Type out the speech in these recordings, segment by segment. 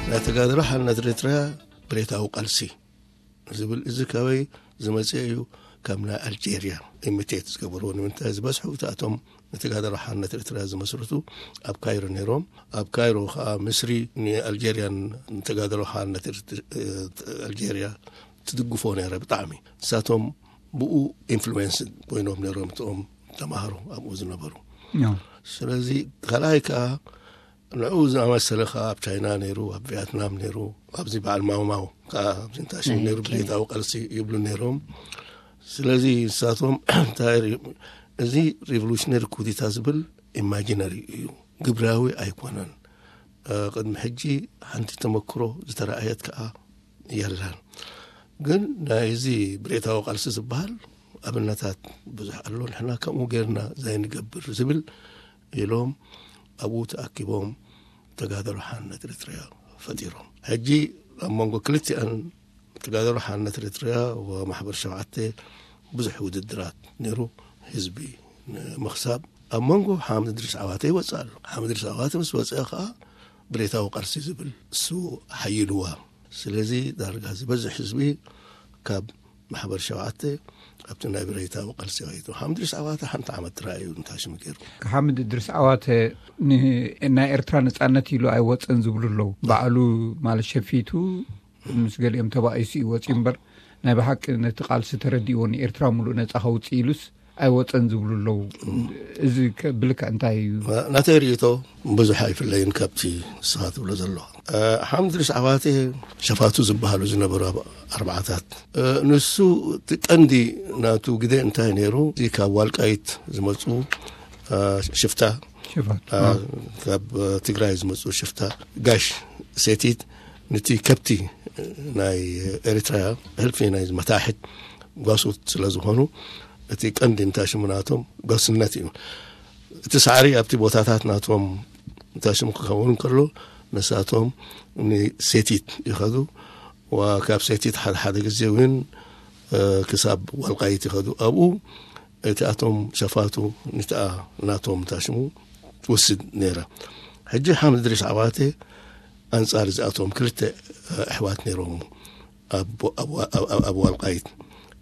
ናይ ተጋድሎ ሓርነት ኤርትራ ብሬታዊ ቃልሲ ዝብል እዚ ካበይ ዝመጽእ እዩ? ካብ ናይ ኣልጀርያ ኢሚቴት ዝገበርዎ። ንምንታይ ዝበዝሑ እታቶም ንተጋድሎ ሓርነት ኤርትራ ዝመስርቱ ኣብ ካይሮ ነይሮም። ኣብ ካይሮ ከዓ ምስሪ ንኣልጀርያን ንተጋድሎ ሓርነት ኤርት-፣ ኣልጀርያ ትድግፎ ነይረ ብጣዕሚ። ንሳቶም ብኡ ኢንፍሉዌንስ ኮይኖም ነይሮም እቶም ተማሃሮ ኣብኡ ዝነበሩ። ያው ስለዚ ካልኣይ ከዓ ንዕኡ ዝኣመሰለ ከዓ ኣብ ቻይና ነይሩ፣ ኣብ ቪየትናም ነይሩ፣ ኣብዚ በዓል ማውማው ከዓ ኣብዚ እንታሽም ነይሩ። ብሬታዊ ቃልሲ ይብሉ ነይሮም። ስለዚ ንሳቶም እንታይ ሪ-፣ እዚ ሪቮሉሽነሪ ኩዲታ ዝብል ኢማጂነሪ እዩ፣ ግብራዊ ኣይኮነን። እ፣ ቅድሚ ሕጂ ሓንቲ ተመክሮ ዝተረኣየት ከዓ የላን። ግን ናይዚ ብሬታዊ ቃልሲ ዝበሃል ኣብነታት ብዙሕ ኣሎ። ንሕና ከምኡ ጌርና ዘይንገብር ዝብል ኢሎም ኣብኡ ተኣኪቦም ተጋድሎ ሓርነት ኤርትራ ፈጢሮም። ሕጂ ኣብ መንጎ ክልቲኣን ተጋድሎ ሓርነት ኤርትራ ወማሕበር ሸውዓተ ብዙሕ ውድድራት ነይሩ። ህዝቢ ንምኽሳብ ኣብ መንጎ ሓምድ ድሪስ ዓዋተ ይወፅእ ኣሎ። ሓምድ ድሪስ ዓዋተ ምስ ወፅአ ከዓ ብሬታዊ ቃልሲ ዝብል እሱ ሓይልዋ። ስለዚ ዳርጋ ዝበዝሕ ህዝቢ ካብ ማሕበር ሸውዓተ ኣብቲ ናይ ብሬታዊ ቃልሲ ኸይዱ። ሓምድ ድሪስ ዓዋተ ሓንቲ ዓመት ጥራይ እዩ እንታሽም ገይሩ። ሓምድ ድሪስ ዓዋተ ን-፣ ናይ ኤርትራ ነጻነት ኢሉ ኣይወፀን ዝብሉ ኣለዉ። ባዕሉ ማለት ሸፊቱ ምስ ገሊኦም ተባኢሱ እዩ ወፂኡ እምበር ናይ ብሓቂ ነቲ ቃልሲ ተረዲእዎ ንኤርትራ ሙሉእ ነጻ ከውፅእ ኢሉስ ኣይወፀን ዝብሉ ኣለዉ። እዚ ከ-፣ ብልክዕ እንታይ እዩ? ናተይ ርእይቶ ብዙሕ ኣይፍለይን ካብቲ ንስኻ ትብሎ ዘለኻ። እ፣ ሓምድ ድሪስ ዓዋተ ሸፋቱ ዝበሃሉ ዝነበሩ ኣብ ኣርባዓታት፣ እ፣ ንሱ እቲ ቀንዲ ናቱ ግደ እንታይ ነይሩ? እዚ ካብ ዋልቃይት ዝመፁ፣ እ፣ ሽፍታ፣ ሽፋት እ፣ ካብ ትግራይ ዝመፁ ሽፍታ ጋሽ ሴቲት ነቲ ከብቲ ናይ ኤርትራ ሕልፊ ናይ መታሕት ጓሶት ስለ ዝኾኑ እቲ ቀንዲ እንታሽሙ ናቶም ጓስነት እዩ። እቲ ሳዕሪ ኣብቲ ቦታታት ናቶም እንታሽሙ ክኸውን ከሎ ንሳቶም ንሴቲት ይኸዱ። ወካብ ሴቲት ሓደ ሓደ ግዜ እውን፣ እ፣ ክሳብ ዋልቃይት ይኸዱ። ኣብኡ እቲ ኣቶም ሸፋቱ ንትኣ ናቶም እንታሽሙ ትወስድ ነይራ። ሕጂ ሓምድ ድሪስ ዓዋተ ኣንጻር እዚኣቶም ክልተ፣ እ፣ ኣሕዋት ነይሮም ኣብ፣ ኣብ፣ ኣብ፣ ኣብ፣ ኣብ ዋልቃይት።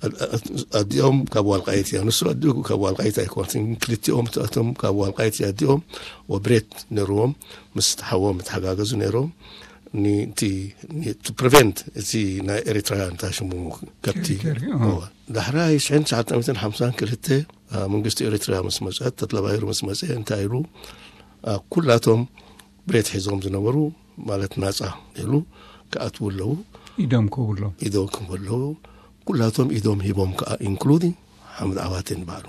ኣድ-፣ ኣድ-፣ ኣዲኦም ካብ ዋልቃይት እያ። ንሱ ኣዲኡ ካብ ዋልቃይት ኣይኮነትን። ክልቲኦም እቲኣቶም ካብ ዋልቃይት እያ ኣዲኦም። ወብሬት ነይርዎም። ምስ ሓዎም ይተሓጋገዙ ነይሮም። ንቲ፣ ኒ-፣ to prevent እቲ ናይ ኤሪትራ እንታይ ሽሙ ከብቲ። ቴሪቶሪ፣ ኣዎ። እወ። ዳሕራይ ሽሕን ትሽዓተ ሚእትን ሓምሳን ክልተ፣ አ፣ መንግስቲ ኤሪትራ ምስ መጸ፣ ተድላ ባይሩ ምስ መጸ፣ እንታይ ኢሉ? አ፣ ኩላቶም ብሬት ሒዞም ዝነበሩ፣ ማለት ናጻ ኢሉ፣ ክኣትዉ ኣለዉ። ኢዶም ክህቡ ኣለዉ። ኢዶም ክህቡ ኣለዉ። ኩላቶም ኢዶም ሂቦም ከኣ፣ ኢንክሉዲንግ ሓምድ ዓዋቴ ንባዕሉ።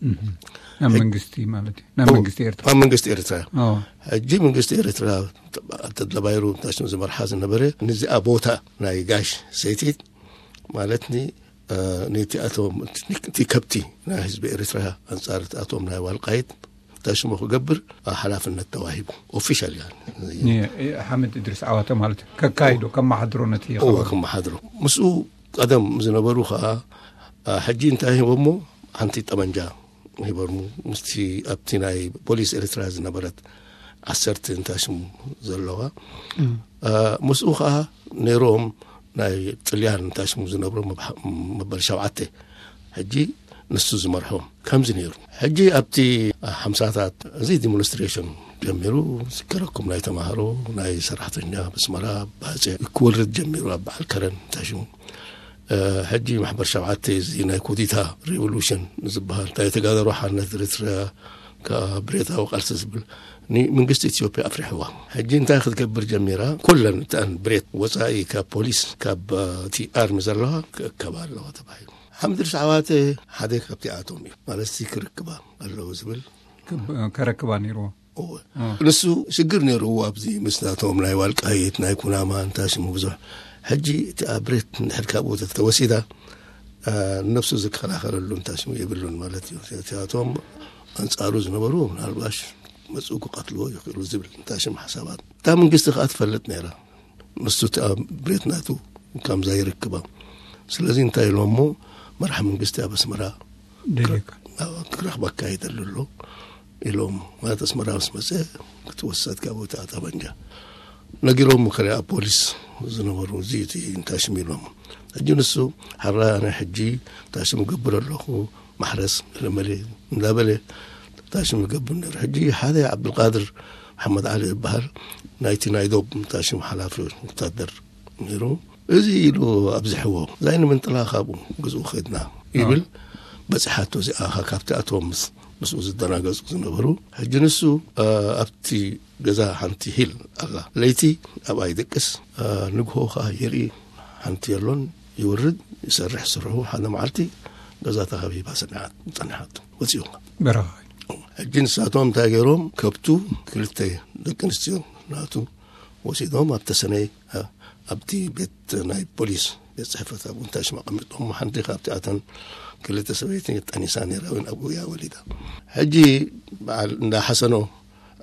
እህ። ናብ ሕጂ መንግስቲ ማለት እዩ። ናብ እዎ፣ መንግስቲ ኤርትራ። ናብ መንግስቲ ኤርትራ። ኣዎ። ሕጂ መንግስቲ ኤርትራ፣ ተድላ ባይሩ፣ እንታይ ሽሙ ዝመርሓ ዝነበረ፣ ንዚኣ ቦታ ናይ ጋሽ ሰይቲት፣ ማለት ኒ-፣ እ፣ ነቲ ኣቶም፣ እቲ ከብቲ ናይ ህዝቢ ኤርትራ ኣንጻር እቲ ኣቶም ናይ ዋልቃይት እንታይ ሽሙ ክገብር፣ እ፣ ሓላፍነት ተዋሂቡ። ኦፊሻል፣ ያ። ኒ-፣ ሓምድ እድሪስ ዓዋተ ማለት እዩ። ከካይዶ፣ ከመሓድሮ ነቲ እዎ፣ ኸባቢ። ከመሓድሮ። ምስኡ ቀደም ዝነበሩ ኸኣ፣ እ፣ ሕጂ እንታይ ሂቦሞ? ሓንቲ ጠመንጃ ሂቦሙ። ምስቲ ኣብቲ ናይ ፖሊስ ኤርትራ ዝነበረት ዓሰርተ እንታይ ሽሙ ዘለዋ። እም። እ፣ ምስኡ ኸኣ ነይሮም ናይ ጥልያን እንታይ ሽሙ ዝነብሩ መብሓ-፣ መበል ሸውዓተ። ሕጂ ንሱ ዝመርሖም ከምዚ ነይሩ። ሕጂ ኣብቲ ሓምሳታት እዚ ዲሞንስትሬሽን ጀሚሩ፣ ዝከረኩም ናይ ተማሃሮ፣ ናይ ሰራሕተኛ ብስመራ፣ ባጽዕ ክወርድ ጀሚሩ ኣብ በዓል ከረን እንታይ ሽሙ። እ፣ ሕጂ ማሕበር ሸውዓተ እዚ ናይ ኩዲታ ሬቮሉሽን ዝበሃል፣ ናይ ተጋደሮ ሓርነት ኤርትራ፣ ካብ ብሬታዊ ቃልሲ ዝብል፣ ንመንግስቲ ኢትዮጵያ ኣፍሪሕዋ። ሕጂ እንታይ ክትገብር ጀሚራ? ኩለን እተን ብሬት ወጻኢ ካብ ፖሊስ፣ ካብ፣ እ፣ እቲ ኣርሚ ዘለዋ ክእከባ ኣለዋ ተባሂሉ። ሓምድ ድሪስ ዓዋተ ሓደ ካብቲ ኣቶም እዩ። ማለት፣ እዚ ክርክባ ኣለዎ ዝብል። ክብ-፣ ከረክባ ነይርዎ። እወ። እ። ንሱ ሽግር ነይርዎ ኣብዚ ምስ ናቶም ናይ ዋልቃይት፣ ናይ ኩናማ፣ እንታይ ሽሙ ብዙሕ። ሕጂ እቲ ኣብ ብሬት እንድሕር ካብኡ ተተወሲዳ፣ እ፣ ነብሱ ዝከላኸለሉ እንታይ ሽሙ የብሉን ማለት እዩ። እቲኣቶም ኣንጻሩ ዝነበሩ ምናልባሽ መጽኡ ክቐትልዎ ይኽእሉ ዝብል እንታይ ሽም ሓሳባት። እታ መንግስቲ ከኣ ትፈልጥ ነይራ። ንሱ እቲ ኣብ ብሬት ናቱ ከምዛ ይርክባ። ስለዚ እንታይ ኢሎሞ፣ መራሕ መንግስቲ ኣብ ኣስመራ ደልየካ። ኣብ ክረኽበካ ይደሊ ኣሎ ኢሎም። ማለት ኣስመራ ምስ መጸ ክትወሰድ ካብ ቦታ ጠበንጃ። ነጊሮም ከለ ኣብ ፖሊስ ዝነበሩ እዚ እቲ እንታይ ሽም ኢሎም። ሕጂ ንሱ ሓራ ኣነ ሕጂ እንታይ ሽም እገብር ኣለኹ፣ ማሕረስ ለመለ እንዳበለ እንታይ ሽም ይገብር ነይሩ። ሕጂ ሓደ ዓብዱልቃድር መሓመድ ዓሊ ዝበሃል ናይቲ ናይ ዶብ እንታይ ሽም ሓላፊ ወታደር ነይሩ። እዚ ኢሉ ኣብዝሕዎ እዛይ ንምንጥላ ካብኡ ግዝኡ ኸድና ይብል። በፅሓቶ እዚኣ ካብቲ ኣቶም ምስ ምስኡ ዝደናገጹ ዝነበሩ። ሕጂ ንሱ ኣብቲ ገዛ ሓንቲ ሂል ኣላ። ለይቲ ኣብኣ ይደቅስ፣ ንግሆ ኸዓ ይርኢ ሓንቲ የሎን። ይወርድ፣ ይሰርሕ ስርሑ። ሓደ መዓልቲ ገዛ ተኸቢባ ሰሚዓ ጸኒሓቶ። ወጺኡ በረኻ። ሕጂ ንሳቶም እንታይ ገይሮም? ከብቱ ክልተ ደቂ ኣንስትዮ ናቱ ወሲዶም ኣብ ተሰነይ ኣብቲ ቤት ናይ ፖሊስ ቤት ጽሕፈት ኣብኡ እንታይ ሽም ኣቐሚጦም። ሓንቲ ካብቲ ኣተን ክልተ ሰበይቲ ጠኒሳ ነይራ እውን ኣብኡ እያ ወሊዳ። ሕጂ በዓል እንዳ ሓሰኖ፣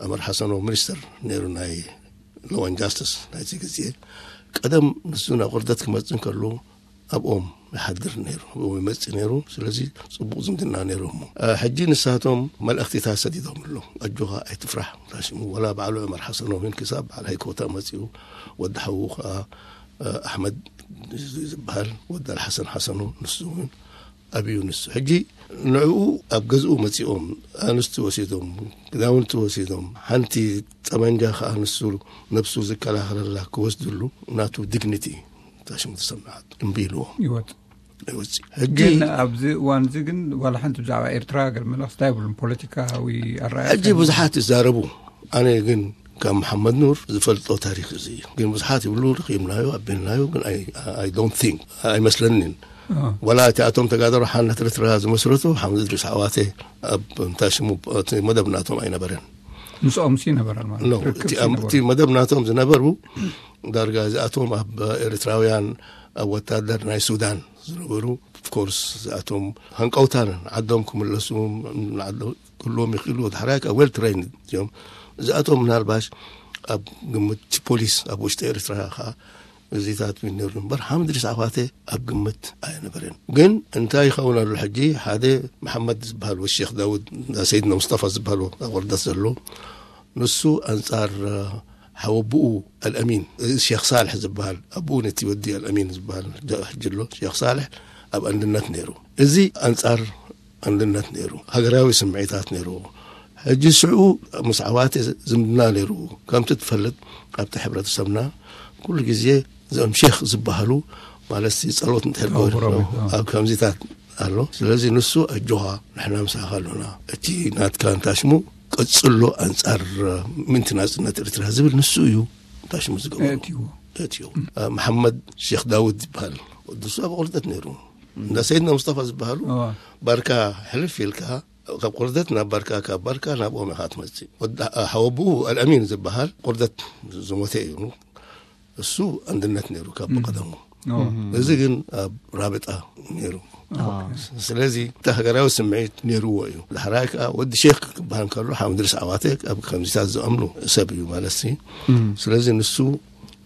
ዑመር ሓሰኖ ሚኒስተር ነይሩ ናይ ሎዋን ጃስትስ ናይቲ ግዜ። ቀደም ንሱ ናብ ቁርደት ክመጽእ እንከሎ ኣብኦም ይሓድር ነይሩ፣ ኣብኦም ይመጽእ ነይሩ። ስለዚ ጽቡቕ ዝምድና ነይሩ። እሞ ሕጂ ንሳቶም መልእኽቲታት ሰዲዶም ኣሎ። ኣጆኻ ኣይትፍራሕ። ሽሙ ወላ ባዕሉ ዑመር ሓሰኖ እውን ክሳብ በዓል ሃይኮታ መጺኡ፣ ወዲ ሓዉ ከዓ ኣሕመድ ዝበሃል ወዲ ኣልሓሰን ሓሰኖ፣ ንሱ እውን ኣብዩ። ንሱ ሕጂ ንዕኡ ኣብ ገዝኡ መጺኦም ኣንስቲ ወሲዶም፣ ክዳውንቲ ወሲዶም፣ ሓንቲ ጠመንጃ ከዓ ንሱ ነብሱ ዝከላኸለላ ክወስድሉ ናቱ ዲግኒቲ ታሽሙ ተሰምዓት እምቢ ኢልዎ። ይወጽእ። ይወጽእ። ሕጂ ግን ኣብዚ እዋን እዚ ግን ዋላ ሓንቲ ብዛዕባ ኤርትራ ገለ መልእኽቲ ኣይብሉን። ፖለቲካዊ ኣረኣእያ ሕጂ ብዙሓት ይዛረቡ። ኣነ ግን ካብ መሓመድ ኑር ዝፈልጦ ታሪክ እዚ እዩ። ግን ብዙሓት ይብሉ፣ ረኺብናዮ፣ ኣቢልናዮ፣ ግን ኣይ፣ ኣይ ዶንት ቲንክ፣ ኣይመስለንን። ዋላ እቲ ኣቶም ተጋደሮ ሓርነት ኤርትራ ዝመስረቱ ሓምድ እድሪስ ዓዋተ ኣብ እንታይ ሽሙ እቲ መደብ ናቶም ኣይነበረን። ምስኦም ሲ ነበረ ማለት ኖ፣ ርክብ እቲ ሲ ኣም-፣ ነበረ። እቲ መደብ ናቶም ዝነበሩ ዳርጋ እዚኣቶም ኣብ ኤርትራውያን ኣብ ወታደር ናይ ሱዳን ዝነበሩ፣ ኦፍኮርስ እዚኣቶም ሃንቀውታን ዓዶም ክምለሱ ንዓዶ-፣ ክህልዎም ይኽእሉ። ዳሕራይ ከዓ ዌል ትሬይንድ እዮም። እዚኣቶም ምናልባሽ ኣብ ግምት ፖሊስ ኣብ ውሽጢ ኤርትራ ከዓ እዚታት ነይሩ እምበር ሓምድ እድሪስ ዓዋተ ኣብ ግምት ኣይነበረን። ግን እንታይ ይኸውን ኣሎ ሕጂ? ሓደ መሓመድ ዝበሃል ወ ሼክ ዳውድ፣ ሰይድና ሙስጠፋ ዝበሃል ኣብ ወርደት ዘሎ፣ ንሱ ኣንጻር ሓወብኡ ኣልኣሚን፣ እዚ ሼክ ሳልሕ ዝበሃል፣ ኣብኡ ነቲ ወዲ ኣልኣሚን ዝበሃል ሕጂ ኣሎ፣ ሼክ ሳልሕ ኣብ ኣንድነት ነይሩ። እዚ ኣንጻር ኣንድነት ነይሩ፣ ሃገራዊ ስምዒታት ነይሩ። ሕጂ ሽዑ ምስ ዓዋተ ዝምድና ነይሩ። ከምቲ ትፈልጥ ኣብቲ ሕብረተሰብና ኩሉ ግዜ እዞም ሼክ ዝበሃሉ ማለት ሲ ጸሎት እንድሕር ገበሩ ኣውሮ ቤት፣ ኣዎ። ኣብ ከምዚታት ኣሎ። ስለዚ ንሱ ኣጆኻ ንሕና ምሳኻ ኣሎና፣ እቲ ናትካ እንታይ ሽሙ ቀጽሎ ኣንጻር ምንቲ ናጽነት ኤርትራ ዝብል ንሱ እዩ። እንታይ ሽሙ ዝገበሩ? እትይዎ። እትይዎ። መሓመድ ሼክ ዳውድ ይበሃል። ወዲ እሱ ኣብ ቁርደት ነይሩ። እንዳ ሰይድና ሙስጠፋ ዝበሃሉ ኣዎ። ባርካ ሕልፍ ኢልካ ካብ ቁርደት ናብ ባርካ፣ ካብ ባርካ ናብ ኦም ኢኻ ትመጽእ። ወዲ ሓወብኡ ኣልኣሚን ዝበሃል ቁርደት ዝሞተ እዩ። እሱ ኣንድነት ነይሩ ካብ ብቐደሙ። ኣዎ። እዚ ግን ኣብ ራብጣ ነይሩ። ኣዎ። ስለዚ እቲ ሃገራዊ ስምዒት ነይርዎ እዩ። ዳሕራይ ከዓ ወዲ ሼክ ክበሃል ከሎ ሓምድ እድሪስ ዓዋተ ኣብ ከምዚታት ዝኣምኑ ሰብ እዩ ማለት ሲ። ስለዚ ንሱ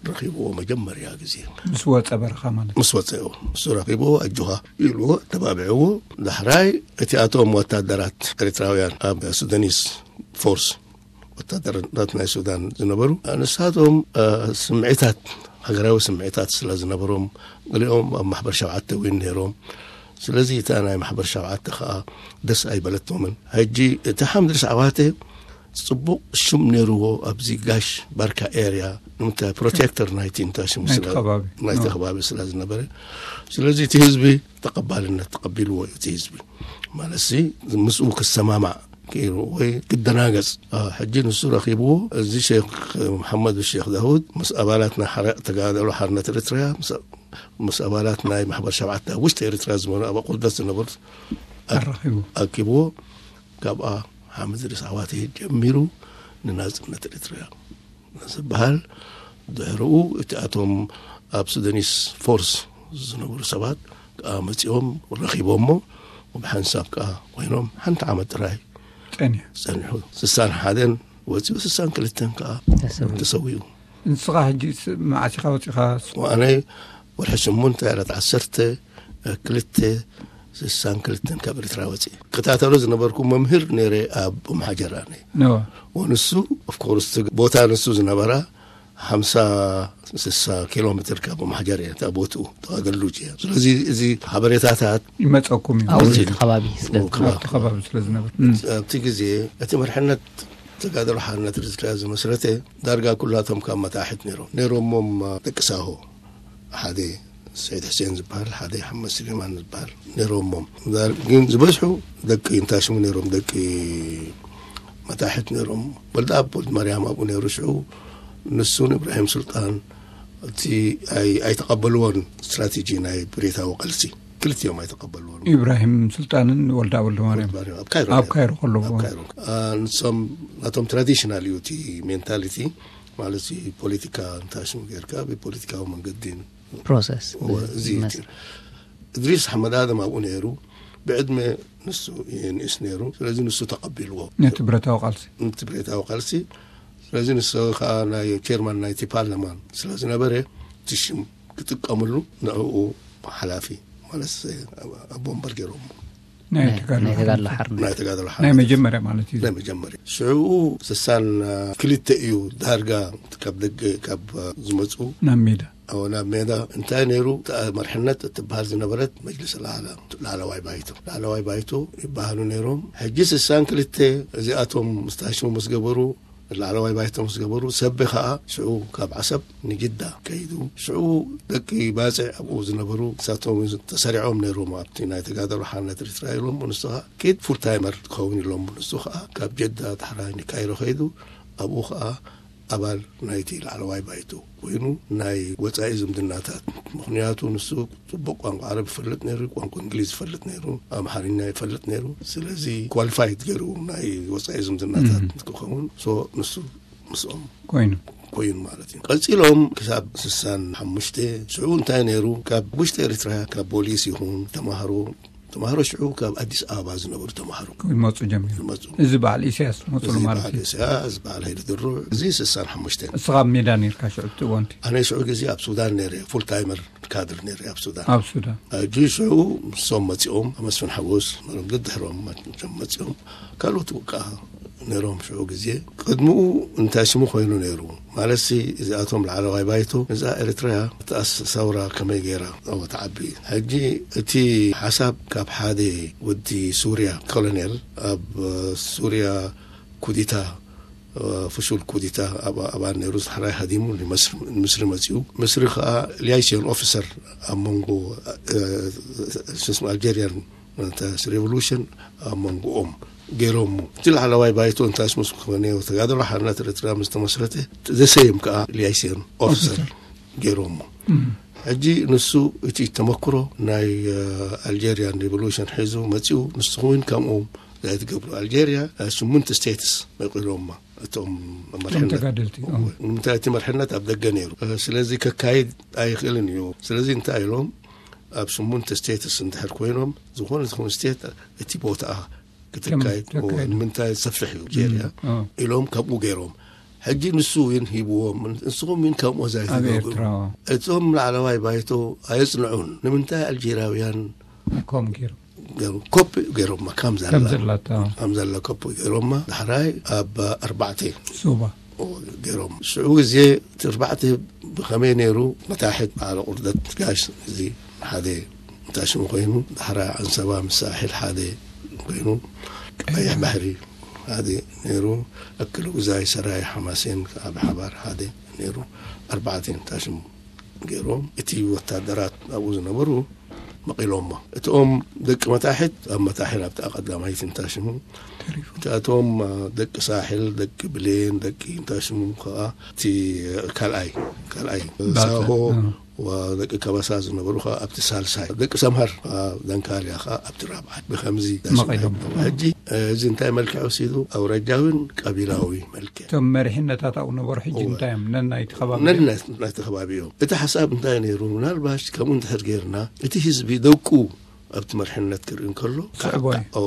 ረኺብዎ መጀመርያ ግዜ። ምስ ወጸ በረኻ ማለት እዩ። ምስ ወጸ እዩ። እሱ ረኺብዎ፣ ኣጆኻ ኢልዎ፣ ተባብዕዎ። ዳሕራይ እቲ ኣቶም ወታደራት ኤርትራውያን ኣብ ሱዳኒስ ፎርስ፣ ወታደራት ናይ ሱዳን ዝነበሩ፣ ንሳቶም፣ እ፣ ስምዒታት፣ ሃገራዊ ስምዒታት ስለ ዝነበሮም፣ ገሊኦም ኣብ ማሕበር ሸውዓተ እውን ነይሮም። ስለዚ እታ ናይ ማሕበር ሸውዓተ ከዓ ደስ ኣይበለቶምን። ሕጂ እቲ ሓምድ እድሪስ ዓዋተ ጽቡቕ ሽም ነይርዎ ኣብዚ ጋሽ ባርካ ኤርያ፣ ንምንታይ ፕሮቴክተር ናይቲ እንታይ ሽሙ ናይቲ ስለ-፣ ከባቢ። ናይቲ ኣዎ። ከባቢ ስለ ዝነበረ። ስለዚ እቲ ህዝቢ ተቐባልነት ተቐቢልዎ እዩ እቲ ህዝቢ። ማለትሲ ምስኡ ክሰማማዕ ክኢሉ ወይ ክደናገጽ። አ፣ ሕጂ ንሱ ረኺብዎ፣ እዚ ሼክ መሓመድ ሼክ ዳውድ ምስ ኣባላት ናይ ሓረ-፣ ተጋደሎ ሓርነት ኤርትራ፣ ምስ፣ ምስ ኣባላት ናይ ማሕበር ሸውዓተ ኣብ ውሽጢ ኤርትራ ዝነበሩ፣ ኣብ ኣቑርደት ዝነበሩ ኣ-፣ ኣራኺቡ። ኣኪብዎ። ካብኣ ሓምድ እድሪስ ዓዋተ ጀሚሩ ንናጽነት ኤርትራ ዝበሃል። ድሕርኡ እቲ ኣቶም ኣብ ሱዳኒስ ፎርስ ዝነበሩ ሰባት ከኣ መጺኦም ረኺቦሞ፣ ብሓንሳብ ከኣ ኮይኖም ሓንቲ ዓመት ጥራይ ጸኒሑ። ጸኒሑ። ስሳን ሓደን ወጺኡ፣ ስሳን ክልተን ከኣ ተሰዊኡ። ተሰዊኡ። ንስኻ ሕጂ ስ-፣ መዓስ ኢኻ ወጺኻ? ኣነ ወርሒ ስምንተ ዕለት ዓሰርተ ክልተ ስሳን ክልተን ካብ ኤርትራ ወጺእ። ክታተሎ ዝነበርኩ መምህር ነይረ ኣብ ኡምሓጀር ኣነ። ኖ። ወንሱ፣ ኦፍኮርስ፣ ቦታ ንሱ ዝነበራ ሓምሳ ስሳ ኪሎ ሜትር ካብ ማሕጀር እያ እታ ቦትኡ ተዋገሉ እያ። ስለዚ እዚ ሓበሬታታት ይመፀኩም እዩ ኣብዚ እቲ ከባቢ ስለ ኣብ ከባቢ። ኣብቲ ከባቢ ስለ ዝነበር ኣብቲ ግዜ እቲ መርሕነት ተጋደሎ ሓርነት ርዝድያ ዝመስረተ ዳርጋ ኩላቶም ካብ መታሕት ነይሮም ነይሮሞም ደቂ ሳሆ ሓደ ሰይድ ሕሴን ዝበሃል ሓደ ሓመድ ስሌማን ዝበሃል ነይሮሞም። ግን ዝበዝሑ ደቂ እንታይ ሽሙ ነይሮም ደቂ መታሕት ነይሮም። ወልደ ኣብ ወልድ ማርያም ኣብኡ ነይሩ ሽዑ ንሱን ኢብራሂም ሱልጣን እቲ ኣይተቐበልዎን ስትራቴጂ ናይ ብሬታዊ ቃልሲ ክልቲኦም ኣይተቐበልዎን። ኢብራሂም ሱልጣንን ወልደ ወልደ ማርያም ማርያም ኣብ ካይሮ ኣብ ነይሩ። ካይሮ ከለዎ ኣብ ካይሮ። አ፣ ንሶም ናቶም ትራዲሽናል እዩ እቲ ሜንታሊቲ ማለት እዚ ፖለቲካ እንታይ ሽሙ ጌርካ ብፖለቲካዊ መንገዲ ፕሮሰስ እወ፣ እዚ እዩ ይመስል። እድሪስ ኣሕመድ ኣደም ኣብኡ ነይሩ። ብዕድመ ንሱ ይንእስ ነይሩ። ስለዚ ንሱ ተቐቢልዎ ነቲ ብረታዊ ቃልሲ ነቲ ብሬታዊ ቃልሲ። ስለዚ ንሱ ከዓ ናይ ቸርማን ናይቲ ፓርላማን ስለ ዝነበረ እቲ ሽም ክጥቀምሉ ንዕኡ ሓላፊ ማለት ኣቦ እምበር ገይሮም ናይ ናይ ናይ ተጋድሎ ሓርነት ሓርነት ናይ ተጋደሎ ናይ ሓርነት መጀመርያ ማለት እዩ ናይ መጀመርያ ሽዑ ስሳን ክልተ እዩ ዳርጋ ካብ ደገ ካብ ዝመፁ ናብ ሜዳ ኣብ ናብ ሜዳ እንታይ ነይሩ እታ መርሕነት እትበሃል ዝነበረት መጅልስ ላዕላ ላዕለዋይ ባይቶ ላዕለዋይ ባይቶ ይበሃሉ ነይሮም። ሕጂ ስሳን ክልተ እዚኣቶም ምስታሽሙ ምስ ገበሩ ላዕለዋይ ባይቶ ምስ ገበሩ ሰቢ ከዓ ሽዑ ካብ ዓሰብ ንጅዳ ከይዱ ሽዑ ደቂ ባፅዕ ኣብኡ ዝነበሩ ንሳቶም ተሰሪዖም ነይሮም ኣብቲ ናይ ተጋደሎ ሓርነት ኤርትራ ኢሎም ንሱ ከዓ ኬድ ፉል ታይመር ትኸውን ኢሎም ንሱ ከዓ ካብ ጀዳ ዳሕራይ ንካይሮ ከይዱ ኣብኡ ከዓ ኣባል ናይቲ ላዕለዋይ ባይቶ ኮይኑ ናይ ወፃኢ ዝምድናታት ምክንያቱ ንሱ ፅቡቅ ቋንቋ ዓረብ ይፈልጥ ነይሩ ቋንቋ እንግሊዝ ይፈልጥ ነይሩ ኣምሓርኛ ይፈልጥ ነይሩ ስለዚ ኳሊፋይድ ገይሩ ናይ ወፃኢ ዝምድናታት ክኸውን ሶ ንሱ ምስኦም ኮይኑ ኮይኑ ማለት እዩ ቀፂሎም ክሳብ ስሳን ሓሙሽተ ሽዑ እንታይ ነይሩ ካብ ውሽጢ ኤርትራ ካብ ፖሊስ ይኹን ተማሃሮ ተማሃሮ ሽዑ ካብ ኣዲስ ኣበባ ዝነበሩ ተማሃሮ ይመፁ ጀሚሩ ይመፁ እዚ በዓል ኢሳያስ መፅሉ እዚ ማለት በዓል እዩ ኢሳያስ በዓል ሃይለ ድሩዕ እዚ ስሳን ሓሙሽተ እስኻ ኣብ ሜዳ ነርካ ሽዑ እቲ እዋንቲ ኣነ ሽዑ ግዜ ኣብ ሱዳን ነይረ ፉል ታይመር ካድር ነይረ ኣብ ሱዳን ኣብ ሱዳን ሕጂ ሽዑ ንሶም መፂኦም መስፍን ሓጎስ ደድሕሮም መፅኦም ካልኦት ከዓ ነይሮም ሽዑ ግዜ ቅድምኡ እንታይ ሽሙ ኮይኑ ነይሩ ማለት ሲ እዚኣቶም ላዕለዋይ ባይቶ እዛ ኤርትራ እታ ሰውራ ከመይ ገይራ ኣብ ተዓቢ ሕጂ እቲ ሓሳብ ካብ ሓደ ወዲ ሱርያ ኮሎኔል ኣብ ሱርያ ኩዲታ ፍሹል ኩዲታ ኣባል ነይሩ ዝሕራይ ሃዲሙ ንምስሪ መፅኡ ምስሪ ከዓ ሊያይሲዮን ኦፊሰር ኣብ መንጎ ኣልጀሪያን ሬቮሉሽን ኣብ መንጎኦም ገይሮሞ እቲ ላዕለዋይ ባይቶ እንታይ ስሙስ ክኾነ ተጋደሎ ሓርነት ኤርትራ ምስ ተመስረተ ዘሰይም ከዓ ሊያይሲዮን ኦፊሰር ገይሮሞ ሕጂ ንሱ እቲ ተመክሮ ናይ ኣልጀሪያን ሬቮሉሽን ሒዙ መፅኡ ንስኹም እውን ከምኡ ዘይትገብሩ ኣልጀሪያ ሽሙንተ ስቴትስ መቂሎማ እቶም መርሕነት ተጋደልቲ ንምንታይ እቲ መርሕነት ኣብ ደገ ነይሩ ስለዚ ከካይድ ኣይኽእልን እዩ ስለዚ እንታይ ኢሎም ኣብ ሽሙንተ ስቴትስ እንድሕር ኮይኖም ዝኾነ ዝኾነ ስቴት እቲ ቦታኣ ክትካይድ ንምንታይ ሰፍሕ እዩ ጀርያ ኢሎም ከምኡ ገይሮም ሕጂ ንሱ እውን ሂብዎም ንስኹም እውን ከምኡ ዘይትገብሩ እቶም ላዕለዋይ ባይቶ ኣየፅንዑን ንምንታይ ኣልጀራውያን ከም ገይሩ ኮፒ ገይሮማ ከም ዘላ ከም ዘላታ ከም ዘላ ኮፒ ገይሮማ ዳሕራይ ኣብ ኣርባዕተ ሱባ ገይሮም ሽዑ ግዜ እቲ ኣርባዕተ ብኸመይ ነይሩ መታሕት በዓል ቁርደት ጋሽ እዚ ሓደ እንታይ ሽሙ ኮይኑ ዳሕራይ ኣንሰባ ምስ ሳሕል ሓደ ኮይኑ ቀይሕ ባሕሪ ሓደ ነይሩ ኣክል ጉዛይ ሰራይ ሓማሴን ኣብ ሓባር ሓደ ነይሩ ኣርባዕተ እንታይ ሽሙ ገይሮም እቲ ወታደራት ኣብኡ ዝነበሩ መቒሎሞ እቲኦም ደቂ መታሕት ኣብ መታሕት ኣብቲ ቀዳማይት እንታይ ሽሙ እቲኣቶም ደቂ ሳሕል ደቂ ብሌን ደቂ እንታይ ሽሙ ከዓ እቲ ካልኣይ ካልኣይ ሳሆ ደቂ ከበሳ ዝነበሩ ከዓ ኣብቲ ሳልሳይ ደቂ ሰምሃር ደንካልያ ከዓ ኣብቲ ራብዓይ ብከምዚ ሕጂ እዚ እንታይ መልክዕ ወሲዱ ኣውራጃዊን ቀቢላዊ መልክዕ እቶም መሪሕነታት ኣብኡ ነበሩ ሕጂ እንታይ እዮም ነናይቲ ከባቢ ነናይቲ ከባቢ እዮም እቲ ሓሳብ እንታይ ነይሩ ምናልባሽ ከምኡ እንድሕር ገይርና እቲ ህዝቢ ደቁ ኣብቲ መርሕነት ክርኢ እንከሎ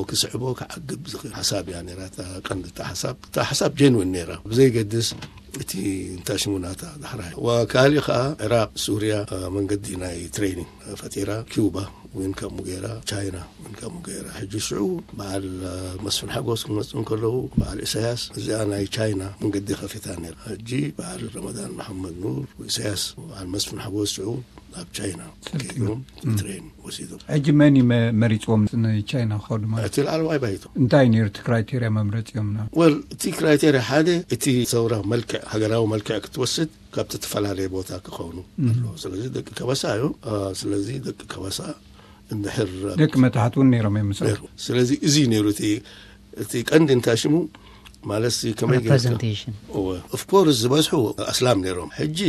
ክስዕቦ ክዓግብ ዝኽእል ሓሳብ እያ ነራ ቀንዲ ሓሳብ እታ ሓሳብ ጀንዊን ነራ ብዘይገድስ እቲ እንታይ ሽሙ ናታ ዳሕራይ። ወካሊእ ከኣ ኢራቕ፣ ሱርያ፣ እ፣ መንገዲ ናይ ትሬኒንግ ፈጢራ። ኪውባ እውን ከምኡ ገይራ፣ ቻይና እውን ከምኡ ገይራ። ሕጂ ሽዑ በዓል፣ እ፣ መስፍን ሓጎስ ክመጹ እንከለዉ፣ በዓል ኢሳያስ እዚኣ ናይ ቻይና መንገዲ ከፊታ ነይራ። ሕጂ በዓል ረመዳን መሓመድ ኑር፣ ኢሳያስ፣ በዓል መስፍን ሓጎስ ሽዑ ኣብ ቻይና ከይዶም ትሬን ወሲዶም። ሕጂ መን እዩ መ-፣ መሪፅዎም ንቻይና ክኸዱ ማለት? እቲ ላዕለዋይ ባይቶ። እንታይ ነይሩ እቲ ክራይቴርያ መምረፂኦም? ና ወል፣ እቲ ክራይቴርያ ሓደ፣ እቲ ሰውራ መልክዕ፣ ሃገራዊ መልክዕ ክትወስድ ካብ ዝተፈላለየ ቦታ ክኸውኑ ኣለዎ። ስለዚ ደቂ ከበሳ እዮም። አ፣ ስለዚ ደቂ ከበሳ እንድሕር ደቂ መታሕት እውን ነይሮም እዮም ምስኦም። ነይሩ። ስለዚ እዚ ነይሩ እቲ፣ እቲ ቀንዲ እንታይ ሽሙ ማለት ሲ ከመይ ጌርካ? ሪፕሬዘንቴሽን። እወ። ኦፍ ኮርስ ዝበዝሑ ኣስላም ነይሮም። ሕጂ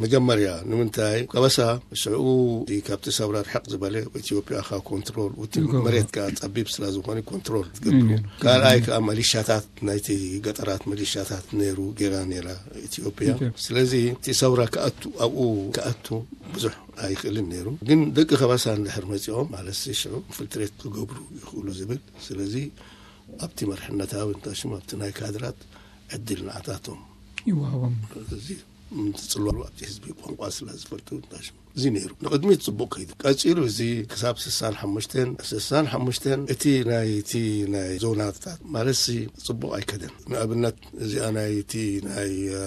መጀመርያ ንምንታይ ከበሳ ሽዑ እቲ ካብቲ ሰብራ ርሕቕ ዝበለ ኢትዮጵያ ከ ኮንትሮል፣ እቲ ይገብሩ። መሬት ከ ጸቢብ ስለ ዝኾነ ኮንትሮል ትገብሩ። እዩ። ካልኣይ ከኣ መሊሻታት ናይቲ ገጠራት መሊሻታት ነይሩ፣ ጌራ ነይራ ኢትዮጵያ። ኢትዮጵያ። ስለዚ እቲ ሰውራ ክኣቱ፣ ኣብኡ ክኣቱ ብዙሕ ኣይኽእልን ነይሩ። ግን ደቂ ከበሳ እንድሕር መጺኦም ማለት ሲ ሽዑ ኢንፊልትሬት ክገብሩ ይኽእሉ ዝብል። ስለዚ ኣብቲ መርሕነታዊ እንታይ ሽሙ ኣብቲ ናይ ካድራት ዕድል ንዓታቶም ይወሃቦም። እዚ ምትጽልዋሉ ኣብቲ ህዝቢ ቋንቋ ስለ ዝፈልጡ እንታይ ሽሙ እዚ ነይሩ። ንቕድሚት ጽቡቕ ከይዱ። ቀጺሉ እዚ ክሳብ ስሳን ሓሙሽተን፣ ስሳን ሓሙሽተን እቲ ናይ፣ እቲ ናይ ዞናታት ማለት ሲ ጽቡቕ ኣይከደን። ንኣብነት እዚኣ ናይ እቲ ናይ፣ እ፣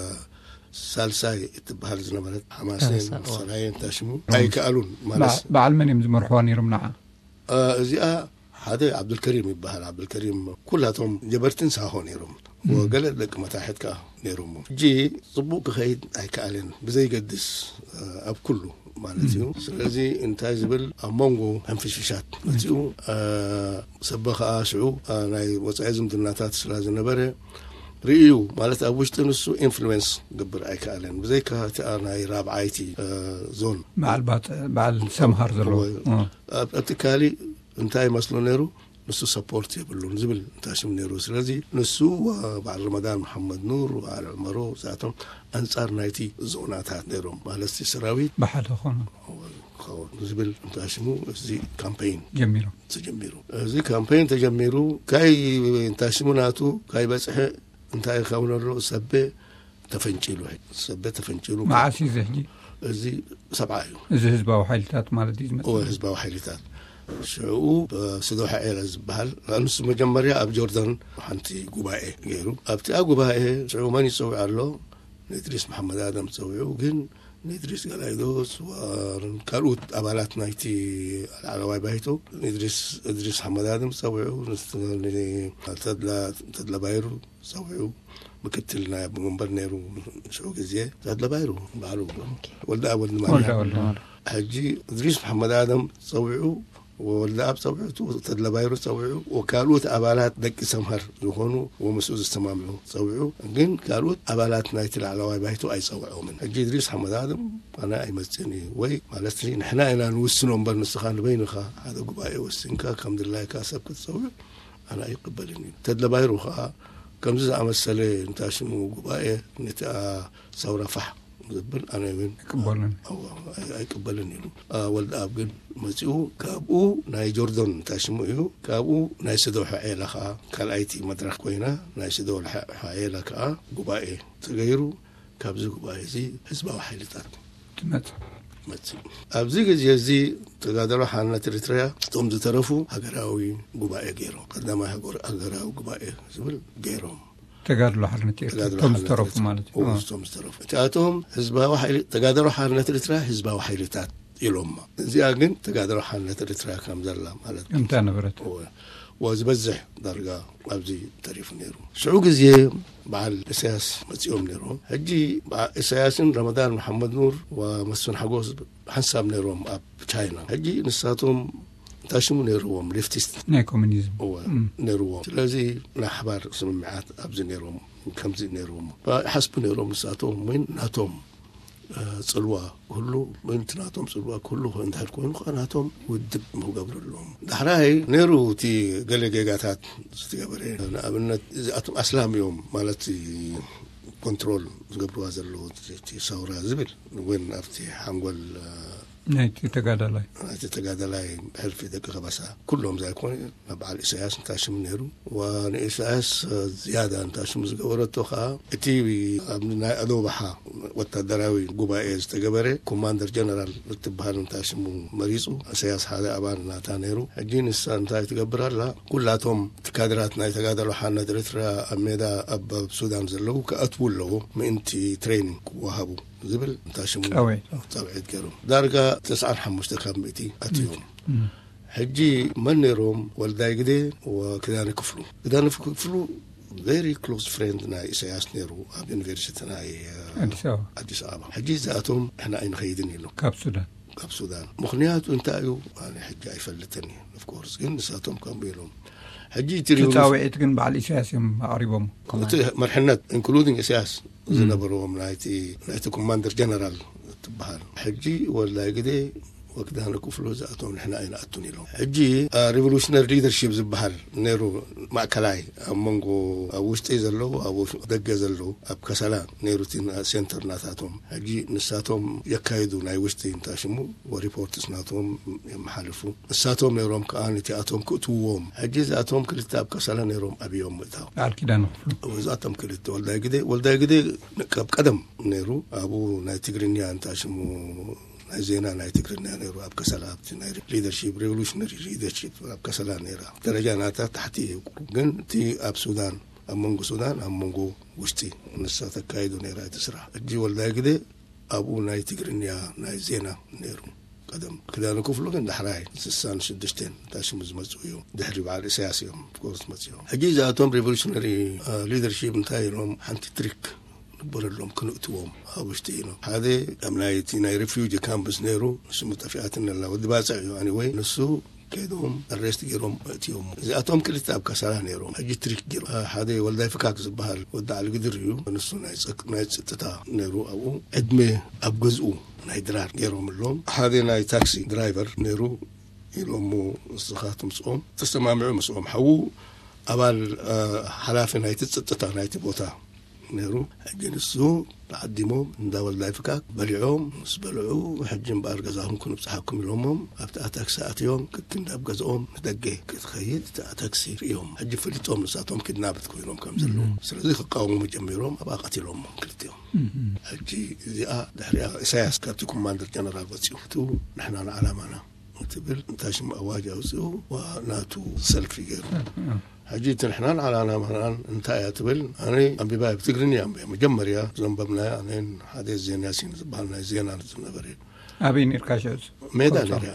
ሳልሳይ እትበሃል ዝነበረት ሓማሴን፣ ሳልሳይ፣ እዋ። ሰራየን እንታይ ሽሙ እም። ኣይከኣሉን ማለት በዓ-፣ በዓል መን እዮም ዝመርሕዋ ነይሮም ንዓ? እ፣ እዚኣ ሓደ ዓብዱልከሪም ይበሃል። ዓብዱልከሪም ኩላቶም ጀበርትን ሳሆ ነይሮም። እም። ወገለ ደቂ መታሕት ከኣ ነይሮም። ሕጂ ጽቡቕ ክኸይድ ኣይከኣለን። ብዘይገድስ፣ እ፣ ኣብ ኩሉ ማለት እዩ። እም። ስለዚ እንታይ ዝብል ኣብ መንጎ ሕንፍሽፍሻት መጺኡ፣ እ፣ ሰበ ከኣ ሽዑ፣ እ፣ ናይ ወጻኢ ዝምድናታት ስለ ዝነበረ ርእዩ ማለት ኣብ ውሽጢ ንሱ ኢንፍሉዌንስ ክገብር ኣይከኣለን። ብዘይካ እቲኣ ናይ ራብዓይቲ፣ እ፣ ዞን በዓል ባጽ-፣ በዓል ሰምሃር ዘለዎ። እወ። እ። ኣብ፣ ኣብቲ ካሊእ እንታይ ይመስሎ ነይሩ? ንሱ ሰፖርት የብሉን ዝብል እንታይ ሽም ነይሩ። ስለዚ ንሱ፣ እ፣ በዓል ረመዳን መሓመድ ኑር፣ በዓል ዑመሮ፣ እዚኣቶም ኣንጻር ናይቲ ዞናታት ነይሮም። ማለት እቲ ሰራዊት ብሓደ ኾኑ። ክኸውን ዝብል እንታይ ሽሙ እዚ ካምፔይን ጀሚሩ። ተጀሚሩ። እዚ ካምፔይን ተጀሚሩ፣ ካይ እንታይ ሽሙ ናቱ፣ ካይ በጽሐ፣ እንታይ ይኸውን ኣሎ፣ ሰቤ ተፈንጪሉ፣ ሰቤ ተፈንጪሉ። መዓስ እዩ እዚ ሕጂ? እዚ ሰብዓ እዩ። እዚ ህዝባዊ ሓይልታት ማለት እዩ ዝመጽእ? እወ፣ ህዝባዊ ሓይልታት። ሽዑ፣ እ፣ ስዶሓ ኤረ ዝበሃል፣ ንሱ መጀመርያ ኣብ ጆርዳን ሓንቲ ጉባኤ ገይሩ። ኣብቲኣ ጉባኤ ሽዑ መን ይጸውዕ ኣሎ? ንእድሪስ መሓመድ ኣደም ጸዊዑ፣ ግን ንእድሪስ ገላይዶስ ወ-፣ ካልኦት ኣባላት ናይቲ ላዕለዋይ ባይቶ፣ ንእድሪስ፣ እድሪስ መሓመድ ኣደም ጸዊዑ፣ ንስ-፣ ን-፣ ተድላ፣ ተድላ ባይሩ ጸዊዑ፣ ምክትል ናይ ኣቦ መንበር ነይሩ ሽዑ ግዜ፣ ተድላ ባይሩ በዓሉ፣ ኦኬ። ወልደኣብ ወልደማርያም። ወልደኣብ ወልደማርያም። ሕጂ እድሪስ መሓመድ ኣደም ጸዊዑ፣ ወልደኣብ ጸዊዑ፣ ተድላ ባይሩ ጸዊዑ፣ ወካልኦት ኣባላት ደቂ ሰምሃር ዝኾኑ ወምስኡ ዝሰማምዑ ጸዊዑ። ግን ካልኦት ኣባላት ናይቲ ላዕለዋይ ባይቶ ኣይጸውዖምን። ሕጂ እድሪስ ሓመድ ኣደም ኣነ ኣይመጽእን እዩ ወይ ማለት ንሕና ኢና ንውስኖ እምበር ንስኻ ንበይንኻ ሓደ ጉባኤ ወሲንካ ከም ድላይካ ሰብ ክትጸውዕ ኣነ ኣይቅበልን እዩ። ተድላ ባይሩ ኸኣ ከምዚ ዝኣመሰለ እንታይ ሽሙ ጉባኤ ነቲ ሰውራ ፋሕ ዘብል ኣነ እውን ኣይቅበልን። ኣዎ፣ ኣይ-፣ ኣይቅበልን ኢሉ። አ፣ ወልደኣብ ግን መጺኡ፣ ካብኡ ናይ ጆርዶን እንታይ ሽሙ እዩ፣ ካብኡ ናይ ስዶሖ ዔላ ኸኣ ካልኣይቲ መድረኽ ኮይና፣ ናይ ስዶሖ ዔላ ከኣ ጉባኤ ተገይሩ፣ ካብዚ ጉባኤ እዚ ህዝባዊ ሓይልታት ትመጽእ። መጺኡ። ኣብዚ ግዜ እዚ ተጋደሎ ሓርነት ኤሪትርያ እቶም ዝተረፉ ሃገራዊ ጉባኤ ገይሮም። ቀዳማይ ሃገር-፣ ሃገራዊ ጉባኤ ዝብል ገይሮም። ተጋድሎ ሓርነት ኤርትራ፣ ተጋድሎ እቶም ሓርነት ዝተረፉ ኤርትራ። ማለት እዩ። እዎ፣ እ። እቶም ዝተረፉ። እቲኣቶም ህዝባዊ ሓይሊ፣ ተጋድሎ ሓርነት ኤርትራ ህዝባዊ ሓይልታት ኢሎማ። እዚኣ ግን ተጋድሎ ሓርነት ኤርትራ ከም ዘላ ማለት እዩ። እንታ ነበረት? እዎ። እዎ፣ ዝበዝሕ ዳርጋ ኣብዚ ተሪፉ ነይሩ። ሽዑ ግዜ በዓል ኢሳያስ መጺኦም ነይሮም። ሕጂ በዓ-፣ ኢሳያስን ረመዳን መሓመድ ኑር ወመስፍን ሓጎስ ሓንሳብ ነይሮም ኣብ ቻይና። ሕጂ ንሳቶም እንታይ ሽሙ ነይርዎም? ሌፍቲስት። ናይ ኮሙኒዝም። እወ፣ እም። ነይርዎም። ስለዚ ናይ ሓባር ስምምዓት ኣብዚ ነይሮም፣ ከምዚ ነይርዎም። ይሓስቡ ነይሮም ንሳቶም፣ ወይ ናቶም፣ እ፣ ጽልዋ ክህሉ፣ ወይ እቲ ናቶም ጽልዋ ክህሉ እንድሕር ኮይኑ፣ ከኣ ናቶም ውድብ ክገብሩ ኣለዎም። ዳሕራይ ነይሩ እቲ ገለ ጌጋታት ዝተገበረ፣ ንኣብነት እዚኣቶም ኣስላም እዮም ማለት ኮንትሮል ዝገብርዋ ዘለዉ እቲ ሰውራ ዝብል፣ እውን ኣብቲ ሓንጎል፣ እ፣ ናይቲ ተጋዳላይ ናይቲ ተጋዳላይ ብሕልፊ ደቂ ከበሳ ኩሎም ዘይኮነ፣ በዓል ኢሳያስ እንታይ ሽሙ ነይሩ። ንኢሳያስ ዝያዳ እንታይ ሽሙ ዝገበረቶ ከዓ እቲ ኣብ ናይ ኣዶባሓ ወታደራዊ ጉባኤ ዝተገበረ ኮማንደር ጀነራል እትበሃል እንታይ ሽሙ መሪፁ። ኢሳያስ ሓደ ኣባል ናታ ነይሩ። ሕጂ ንሳ እንታይ ትገብር ኣላ? ኩላቶም እቲ ካድራት ናይ ተጋዳሎ ሓርነት ኤርትራ ኣብ ሜዳ ኣብ ሱዳን ዘለዉ ክኣትዉ ኣለዎ፣ ምእንቲ ትሬኒንግ ክወሃቡ ዝብል እንታይ ሽሙ ፃውዒት ገይሮም። ዳርጋ ተስዓን ሓሙሽተ ካብ ምእቲ ኣትዮም። ሕጂ መን ነይሮም? ወልዳይ ግደ ወክዳነ ክፍሉ። ክዳነ ክፍሉ ቨሪ ክሎስ ፍሬንድ ናይ ኢሳያስ ነይሩ። ኣብ ዩኒቨርሲቲ ናይ ኣዲስ ኣበባ። ሕጂ እዚኣቶም ንሕና ኣይንኸይድን ኢሎም ካብ ሱዳን ካብ ሱዳን። ምኽንያቱ እንታይ እዩ? ኣነ ሕጂ ኣይፈልጥን እዩ። ኦፍኮርስ ግን ንሳቶም ከምኡ ኢሎም። ሕጂ እቲ ሪዮን ፃውዒት ግን በዓል ኢሳያስ እዮም ኣቕሪቦም። እቲ መርሕነት ኢንክሉዲንግ ኢሳያስ ዝነበርዎም ናይቲ ናይቲ ኮማንደር ጀነራል ትበሃል። ሕጂ ወላይ ግዜ ወክዳነ ክፍሉ ዝኣቶም ንሕና ኣይንኣቱን ኢሎም። ሕጂ ሪቮሉሽነሪ ሊደርሺፕ ዝበሃል ነይሩ። ማእከላይ ኣብ መንጎ ኣብ ውሽጢ ዘለዉ ኣብ ደገ ዘለዉ ኣብ ከሰላ ነይሩ እቲ ሴንተር ናታቶም። ሕጂ ንሳቶም የካይዱ ናይ ውሽጢ እንታይ ሽሙ ሪፖርትስ ናቶም የመሓልፉ። ንሳቶም ነይሮም ከዓ ነቲኣቶም ክእትውዎም። ሕጂ እዚኣቶም ክልተ ኣብ ከሰላ ነይሮም ኣብዮም ምእታው። በዓል ኪዳነ ክፍሉ እዛቶም ክልተ ወልዳይ ግደ ወልዳይ ግደ ካብ ቀደም ነይሩ። ኣብኡ ናይ ትግርኛ እንታይ ሽሙ ናይ ዜና ናይ ትግርኛ ነይሩ። ኣብ ከሰላ ኣብቲ ናይ ሊደርሺፕ ሪቮሉሽነሪ ሊደርሺፕ ኣብ ከሰላ ነይራ። ደረጃ ናታ ታሕቲ እዩ ቁሩብ። ግን እቲ ኣብ ሱዳን ኣብ መንጎ ሱዳን ኣብ መንጎ ውሽጢ ንሳ ተካይዱ ነይራ እቲ ስራሕ። ሕጂ ወልዳይ ግደ ኣብኡ ናይ ትግርኛ ናይ ዜና ነይሩ። ቀደም ክዳነ ክፍሉ ግን ዳሕራይ ስሳን ሽዱሽተን እንታይ ሽሙ ዝመፅኡ እዮም። ድሕሪ በዓል ኢሳያስ እዮም ኦፍኮርስ መፅኦም። ሕጂ እዚኣቶም ሪቮሉሽነሪ ሊደርሺፕ እንታይ ኢሎም ሓንቲ ትሪክ ንበረሎም ክንእትዎም ኣብ ውሽጢ ኢሎም። ሓደ ኣብ ናይ እቲ ናይ ሪፊውጂ ካምፕስ ነይሩ። ንስሙ ጠፊኣትን ኣላ። ወዲ ባፅዕ እዩ ኣኒወይ ንሱ ከይዶም ኣሬስት ገይሮም እትዮም። እዚኣቶም ክልተ ኣብ ከሰላ ነይሮም። ሕጂ ትሪክ ገይሮም ሓደ ወልዳይ ፍካክ ዝበሃል ወዲ ዓልግድር እዩ። ንሱ ናይ ፀጥታ ነይሩ። ኣብኡ ዕድመ ኣብ ገዝኡ ናይ ድራር ገይሮምሎም። ሓደ ናይ ታክሲ ድራይቨር ነይሩ ኢሎሞ። ንስኻ ትምፅኦም ተሰማምዑ ምስኦም ሓዉ ኣባል ሓላፊ ናይቲ ፀጥታ ናይቲ ቦታ ነይሩ። ሕጂ ንሱ ተዓዲሞም እንዳ ወልዳይ ፍካክ በሊዖም ምስ በልዑ ሕጂ እምበኣር ገዛኹም ክንብፅሓኩም ኢሎሞም ኣብቲ ኣታክሲ ኣትዮም። ክክንድ ኣብ ገዝኦም ንደገ ክትኸይድ እቲ ኣታክሲ ርእዮም። ሕጂ ፈሊጦም ንሳቶም ኪድናፕድ ኮይኖም ከም ዘለዉ። ስለዚ ክቃወሙ ጀሚሮም ኣብኣ ቀቲሎሞም ክልቲኦም። ሕጂ እዚኣ ድሕሪኣ ኢሳያስ ካብቲ ኮማንደር ጀነራል ወፂኡ ንሕና ንዓላማና ትብል እንታይ ሽሙ ኣዋጅ ኣውፅኡ ናቱ ሰልፊ ገይሩ። ሕጂ እቲ ንሕናን ዓላማናን እንታይ እያ ትብል? ኣነ ኣንቢባ ብትግርኛ እያ መጀመርያ ዘንበብናያ። ኣነን ሓደ ዜና ሲን ዝበሃል ናይ ዜና ዝነበረ እዩ። ኣበይ ነርካ? ሽዑ ሜዳ ነርያ።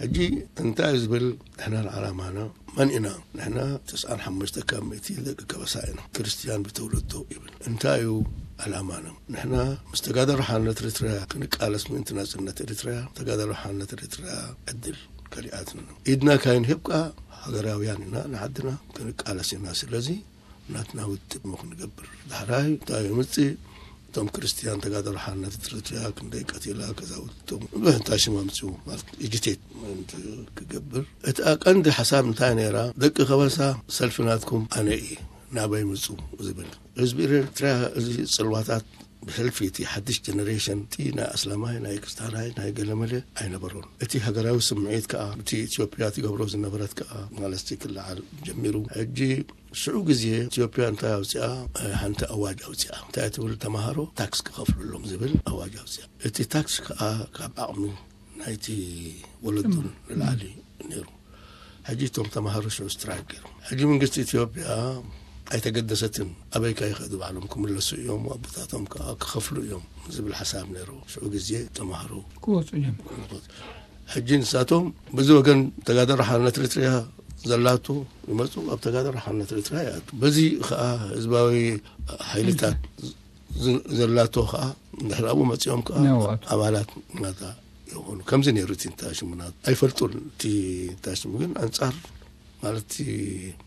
ሕጂ እንታይ እዩ ዝብል? ንሕናን ዓላማና መን ኢና? ንሕና ተስዓን ሓሙሽተ ካብ ምእቲ ደቂ ከበሳ ኢና። ክርስትያን ብተውለዶ ይብል። እንታይ እዩ ዓላማና? ንሕና ምስ ተጋዳሮ ሓርነት ኤርትራ ክንቃለስ ምእንቲ ናጽነት ኤርትራ፣ ተጋዳሮ ሓርነት ኤርትራ ዕድል ከሊኣትና ኢድና ካይንህብ ከኣ ሃገራውያን ኢና፣ ንዓድና ክንቃለስ ኢና። ስለዚ ናትና ውድብ ሞ ክንገብር። ዳሕራይ እንታይ ይምጽእ? እቶም ክርስትያን ተጋዳሮ ሓርነት ኤርትራ ክንደይ ቀቲላ፣ ከዛውቶም ብሕንታ ሽም ኣምጽኡ ማለት ኢጂቴት ክገብር። እቲ ቀንዲ ሓሳብ እንታይ ነይራ? ደቂ ከበሳ ሰልፊ ናትኩም ኣነ እየ፣ ናበይ ምጹ ዝብል። ህዝቢ ኤርትራ እዚ ጽልዋታት ብሕልፊ እቲ ሓድሽ ጀነሬሽን እቲ ናይ ኣስላማይ ናይ ክርስታናይ ናይ ገለመለ ኣይነበሮን። እቲ ሃገራዊ ስምዒት ከኣ እቲ ኢትዮጵያ ትገብሮ ዝነበረት ከኣ ማለት ክለዓል ጀሚሩ። ሕጂ ሽዑ ግዜ ኢትዮጵያ እንታይ ኣውፅኣ? ሓንቲ ኣዋጅ ኣውፅኣ። እንታይ ትብል? ተምሃሮ ታክስ ክኸፍሉሎም ዝብል ኣዋጅ ኣውፅኣ። እቲ ታክስ ከኣ ካብ ዓቕሚ ናይቲ ወለዱን ንላዕሊ ነይሩ። ሕጂ እቶም ተምሃሮ ሽዑ ስትራይክ ገይሮም። ሕጂ መንግስቲ ኢትዮጵያ ኣይተገደሰትን። ኣበይካ ይኸዱ ባዕሎም ክምለሱ እዮም፣ ኣቦታቶም ከዓ ክኸፍሉ እዮም ዝብል ሓሳብ ነይሩ። ሽዑ ግዜ ተምሃሮ ክወፁ እዮም። ሕጂ ንሳቶም በዚ ወገን ተጋዳሮ ሓርነት ኤርትራ ዘላቱ ይመፁ፣ ኣብ ተጋዳሮ ሓርነት ኤርትራ ይኣቱ። በዚ ከዓ ህዝባዊ ሓይልታት ዘላቶ ከዓ ድሕራቡ መፂኦም ከዓ ኣባላት ናታ ይኾኑ። ከምዚ ነይሩ እቲ እንታይ ሽሙ ናቱ ኣይፈልጡን። እቲ እንታይ ሽሙ ግን ኣንፃር ማለት እቲ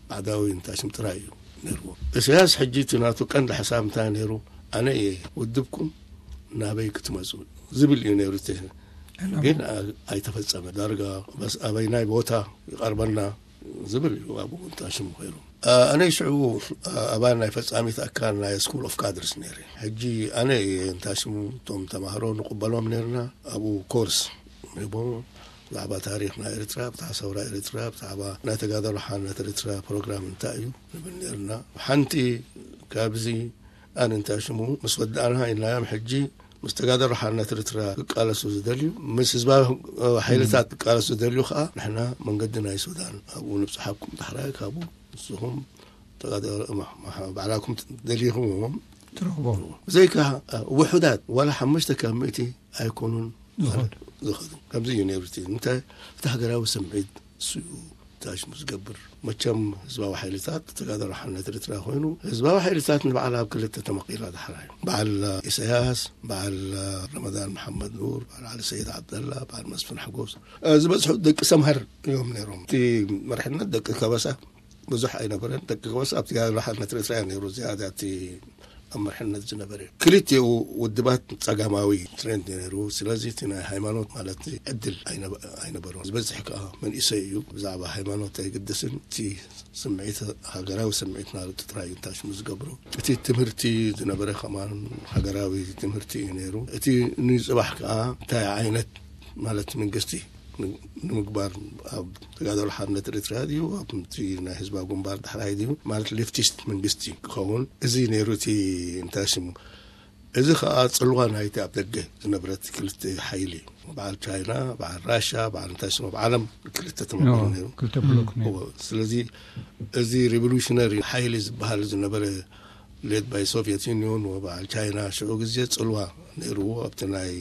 ባዕዳዊ እንታይ ሽም ጥራይ እዩ ነይርዎ። ኢሳያስ ሕጂ እቲ ናቱ ቀንዲ ሓሳብ እንታይ ነይሩ? ኣነ እየ ውድብኩም ናበይ ክትመፁ ዝብል እዩ ነይሩ። ግን ኣይተፈፀመ። ዳርጋ በስ ኣበይ ናይ ቦታ ይቐርበና ዝብል እዩ ኣብኡ እንታይ ሽሙ ኮይኑ። ኣነ ሽዑ ኣባል ናይ ፈፃሚት ኣካል ናይ ስኩል ኦፍ ካድርስ ነይረ። ሕጂ ኣነ እየ እንታይ ሽሙ እቶም ተማሃሮ ንቕበሎም ነርና ኣብኡ ኮርስ ሂቦም፣ ብዛዕባ ታሪኽ ናይ ኤርትራ፣ ብዛዕባ ሰውራ ኤርትራ፣ ብዛዕባ ናይ ተጋዳሎ ሓርነት ኤርትራ ፕሮግራም እንታይ እዩ ንብል ነርና። ሓንቲ ካብዚ ኣነ እንታይ ሽሙ ምስ ወዳእና ኢልናዮም። ሕጂ ምስ ተጋዳሎ ሓርነት ኤርትራ ክቃለሱ ዝደልዩ፣ ምስ ህዝባዊ ሓይልታት ክቃለሱ ዝደልዩ ከዓ ንሕና መንገዲ ናይ ሱዳን ኣብኡ ንብፅሓኩም፣ ዳሕራይ ካብኡ ንስኹም ተጋዳሎ ባዕላኩም ደሊኹምዎም ትረኽቦም። ብዘይካ ውሑዳት ዋላ ሓሙሽተ ካብ ሚእቲ ኣይኮኑን ዝኸዱ። ዝኸዱ። ከምዚ እዩ ነይሩ። እቲ እንታይ እቲ ሃገራዊ ስምዒት እሱ እዩ ታሽሙ ዝገብር። መቸም ህዝባዊ ሓይልታት ተጋዳሎ ሓርነት ኤርትራ ኮይኑ፣ ህዝባዊ ሓይልታት ንባዕላ ኣብ ክልተ ተመቒላ ዳሕራይ፣ በዓል ኢሳያስ፣ በዓል ረመዳን መሓመድ ኑር፣ በዓል ዓሊ ሰይድ ዓብደላ፣ በዓል መስፍን ሓጎስ፣ እ፣ ዝበዝሑ ደቂ ሰምሃር እዮም ነይሮም። እቲ መርሕነት ደቂ ከበሳ ብዙሕ ኣይነበረን። ደቂ ከበሳ ኣብ ተጋዳሎ ሓርነት ኤርትራ እዩ ነይሩ ዝያዳ እቲ ኣብ መርሕነት ዝነበረ። ክልቲኡ ውድባት ጸጋማዊ ትሬንድ ነይሩ። ስለዚ እቲ ናይ ሃይማኖት ማለት ዕድል ኣይነበ-፣ ኣይነበሮን። ዝበዝሕ ከኣ መንእሰይ እዩ። ብዛዕባ ሃይማኖት ኣይግደስን። እቲ ስምዒት፣ ሃገራዊ ስምዒት ናርጡ ጥራይ እዩ እንታሽሙ ዝገብሮ። እቲ ትምህርቲ ዝነበረ ከማን ሃገራዊ ትምህርቲ እዩ ነይሩ። እቲ ንጽባሕ ከኣ እንታይ ዓይነት ማለት መንግስቲ ን-፣ ንምግባር ኣብ ተጋዳሎ ሓርነት ኤርትራ ድዩ፣ ኣብቲ ናይ ህዝባዊ ግንባር ዳሕራይ ድዩ፣ ማለት ሌፍቲስት መንግስቲ ክኸውን፣ እዚ ነይሩ እቲ እንታይ ስሙ። እዚ ኸኣ ጽልዋ ናይቲ ኣብ ደገ ዝነበረት ክልተ ሓይሊ፣ በዓል ቻይና፣ በዓል ራሻ፣ በዓል እንታይ ስሙ፣ ኣብ ዓለም ክልተ ተመቕሉ ነይሩ። ክልተ ብሎክ ነይሩ። እዎ፣ ስለዚ እዚ ሪቮሉሽነሪ ሓይሊ ዝበሃል ዝነበረ ሌድ ባይ ሶቪየት ዩኒዮን ወበዓል ቻይና ሽዑ ግዜ ጽልዋ ነይርዎ ኣብቲ ናይ